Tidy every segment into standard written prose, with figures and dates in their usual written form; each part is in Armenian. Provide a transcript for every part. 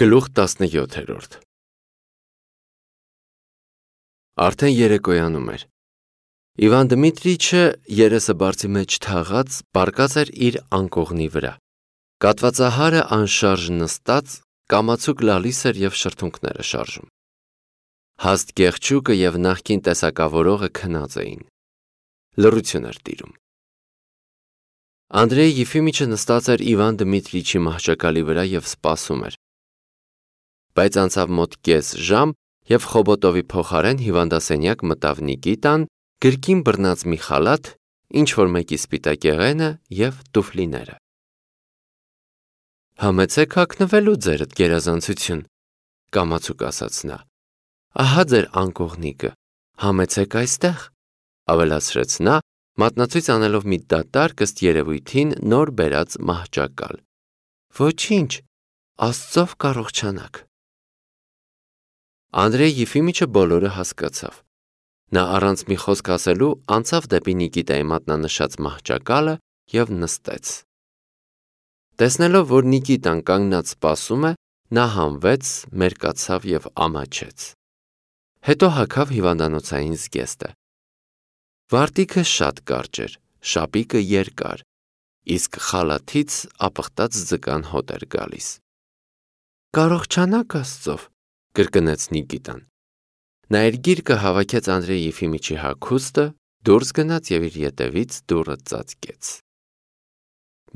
Գլուխ 17 Արդեն երեկոյանում էր։ Իվան Դմիտրիչը երեսը բարձի մեջ թաղած պառկած էր իր անկողնի վրա։ Կատվածահարը անշարժ նստած կամացուկ լալիս էր և շրթունքները շարժում։ Հաստ կեղճուկը և նախկին տեսակավորողը քնած էին։ Լռություն էր տիրում։ Անդրեյ Եֆիմիչը նստած էր Իվան Դմիտրիչի մահճակալի վրա և սպասում էր։ Բայց անցավ մոտ կես ժամ, և Խոբոտովի փոխարեն հիվանդասենյակ մտավ Նիկիտան, գրկին բռնած մի խալաթ, ինչ-որ մեկի սպիտակեղենը և տուֆլիները։ «Համեցեք հագնվելու ձերդ գերազանցություն», կամացուկ ասաց նա։ «Ահա ձեր անկողնիկը, համեցեք այստեղ», ավելացրեց նա, մատնացույց անելով մի դատարկ ըստ երևույթին նոր բերած մահճակալ։ «Ոչինչ, Աստծով կառողջանաք»։ Անդրեյ Եֆիմիչը բոլորը հասկացավ։ Նա առանց մի խոսք ասելու անցավ դեպի Նիկիտայի մատնանշած մահճակալը և նստեց։ Տեսնելով, որ Նիկիտան կանգնած սպասում է, նա հանվեց, մերկացավ և ամաչեց։ Հետո հագավ հիվանդանոցային զգեստը։ Վարտիքը շատ կարճ էր, շապիկը երկար, իսկ խալաթից ապխտած ձկան հոտ էր գալիս։ «Կառողջանաք Աստծով», կրկնեց Նիկիտան։ Նա իր գիրկը հավաքեց Անդրեյ Եֆիմիչի հագուստը, դուրս գնաց և իր ետևից դուռը ծածկեց։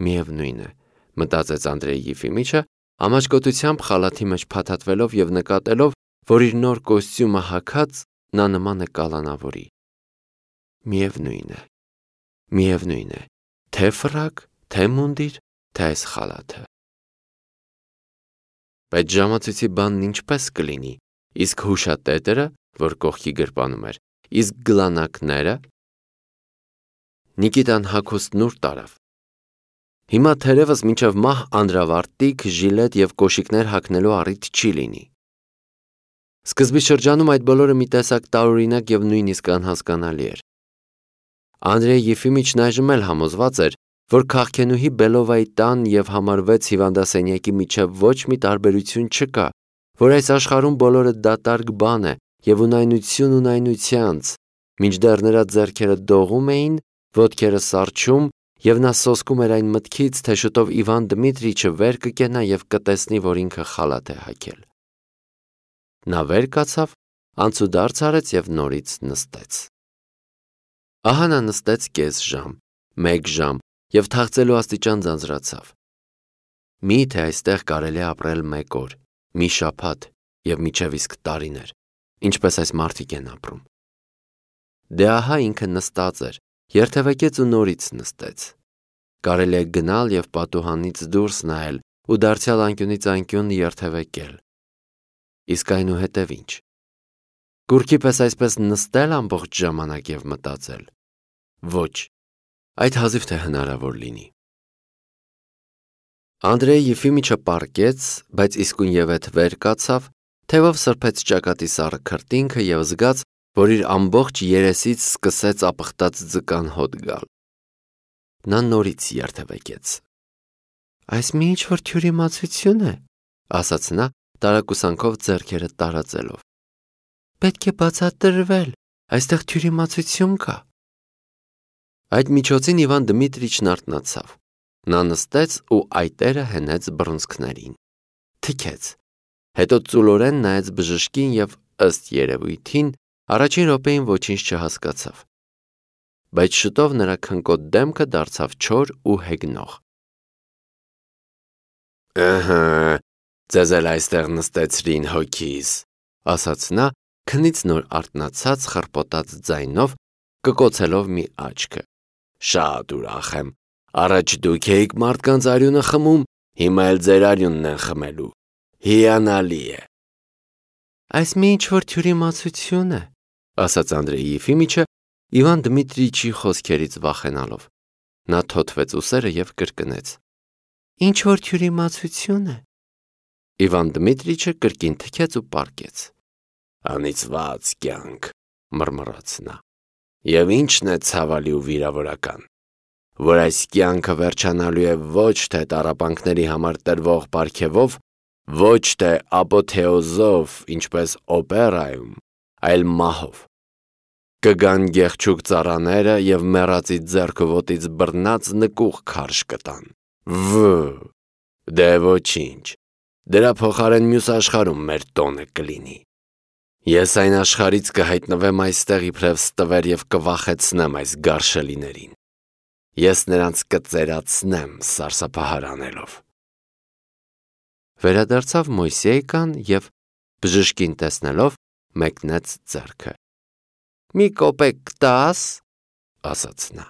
Միևնույն է, մտածեց Անդրեյ Եֆիմիչը, ամաչկոտությամբ խալաթի մեջ փաթաթվելով և նկատելով, որ իր նոր կոստյումը հագած նա նման է կալանավորի։ Միևնույն է, թե ֆրակ, թե մունդիր, թե այս խալաթը։ Բայց ժամացույցի բանն ինչպես կլինի, իսկ հուշատետրը, որ կողքի գրպանում էր, իսկ գլանակները։ Նիկիտան հագուստն ուր տարավ։ Հիմա թերևս մինչև մահ անդրավարտիք, ժիլետ և կոշիկներ հագնելու առիթ չի լինի։ Սկզբի շրջանում այդ բոլորը մի տեսակ տարօրինակ և նույնիսկ անհասկանալի էր։ Անդրեյ Եֆիմիչն այժմ էլ համոզված էր, որ քաղքենուհի Բելովայի տան և համար 6 հիվանդասենյակի միջև ոչ մի տարբերություն չկա, որ այս աշխարհում բոլորը դատարկ բան է և ունայնություն ունայնությանց, մինչդեռ նրա ձեռքերը դողում էին, ոտքերը սառչում, և նա սոսկում էր այն մտքից, թե շուտով Իվան Դմիտրիչը վեր կկենա և կտեսնի, որ ինքը խալաթ է հագել։ Նա վեր կացավ, անցուդարձ արեց և նորից նստեց։ Ահա նա նստեց կես ժամ, 1 ժամ և թախծելու աստիճան ձանձրացավ։ Մի՞թե այստեղ կարելի է ապրել 1 օր, մի շաբաթ և մինչև իսկ տարիներ, ինչպես այս մարդիկ են ապրում։ Դե ահա ինքը նստած էր, երթևեկեց ու նորից նստեց։ Կարելի է գնալ և պատուհանից դուրս նայել ու դարձյալ անկյունից անկյուն երթևեկել։ Իսկ այնուհետև ի՞նչ։ Կուռքի պես այսպես նստել ամբողջ ժամանակ և մտածել։ Ոչ, այդ հազիվ թե հնարավոր լինի։ Անդրեյ Եֆիմիչը պառկեց, բայց իսկույնևեթ վեր կացավ, թևով սրբեց ճակատի սառը քրտինքը և զգաց, որ իր ամբողջ երեսից սկսեց ապխտած ձկան հոտ գալ։ Նա նորից երթևեկեց։ «Այս մի ինչ-որ թյուրիմացություն է», ասաց նա, տարակուսանքով ձեռքերը տարածելով։ «Պետք է բացատրվել, այստեղ թյուրիմացություն կա»։ Այդ միջոցին Իվան Դմիտրիչն արթնացավ։ Նա նստեց ու այտերը հենեց բռունցքներին։ Թքեց։ Հետո ծուլորեն նայեց բժշկին և, ըստ երևույթին, առաջին րոպեին ոչինչ չհասկացավ։ Բայց շուտով նրա քնկոտ դեմքը դարձավ չոր ու հեգնող։ «Ըհը, ձեզ էլ այստեղ նստեցրին հոգիս», ասաց նա, քնից նոր արթնացած խռպոտած ձայնով, կկոցելով մի աչքը։ «Շատ ուրախ եմ։ Առաջ դուք էիք մարդկանց արյունը խմում, հիմա էլ ձեր արյունն են խմելու։ Հիանալի է»։ «Այս մի ինչ-որ թյուրիմացություն է», ասաց Անդրեյ Եֆիմիչը, Իվան Դմիտրիչի խոսքերից վախենալով։ Նա թոթվեց ուսերը և կրկնեց. «Ինչ-որ թյուրիմացություն է»։ Իվան Դմիտրիչը կրկին թքեց ու պառկեց։ «Անիծված կյանք», մռմռաց նա։ «Եվ ի՞նչն է ցավալի ու վիրավորական, որ այս կյանքը վերջանալու է ոչ թե տառապանքների համար տրվող պարգևով, Ոչ թե ապոթեոզով, ինչպես օպերայում, այլ մահով։ Կգան գեղչուկ ծառաները և մեռածի ձեռքը ոտից բռնած նկուղ քարշ կտան։ Դե ոչինչ, դրա փոխարեն մյուս աշխարհում մեր տոնը կլինի։ Ես այն աշխարհից կհայտնվեմ այստեղ իբրև ստվեր և կվախեցնեմ այս գարշելիներին։ Ես նրանց կծերացնեմ սարսափահար անելով։ Վերադարձավ Մոյսեյկան և բժշկին տեսնելով մեկնեց ձեռքը։ Մի կոպեկ կտա՞ս, ասաց նա։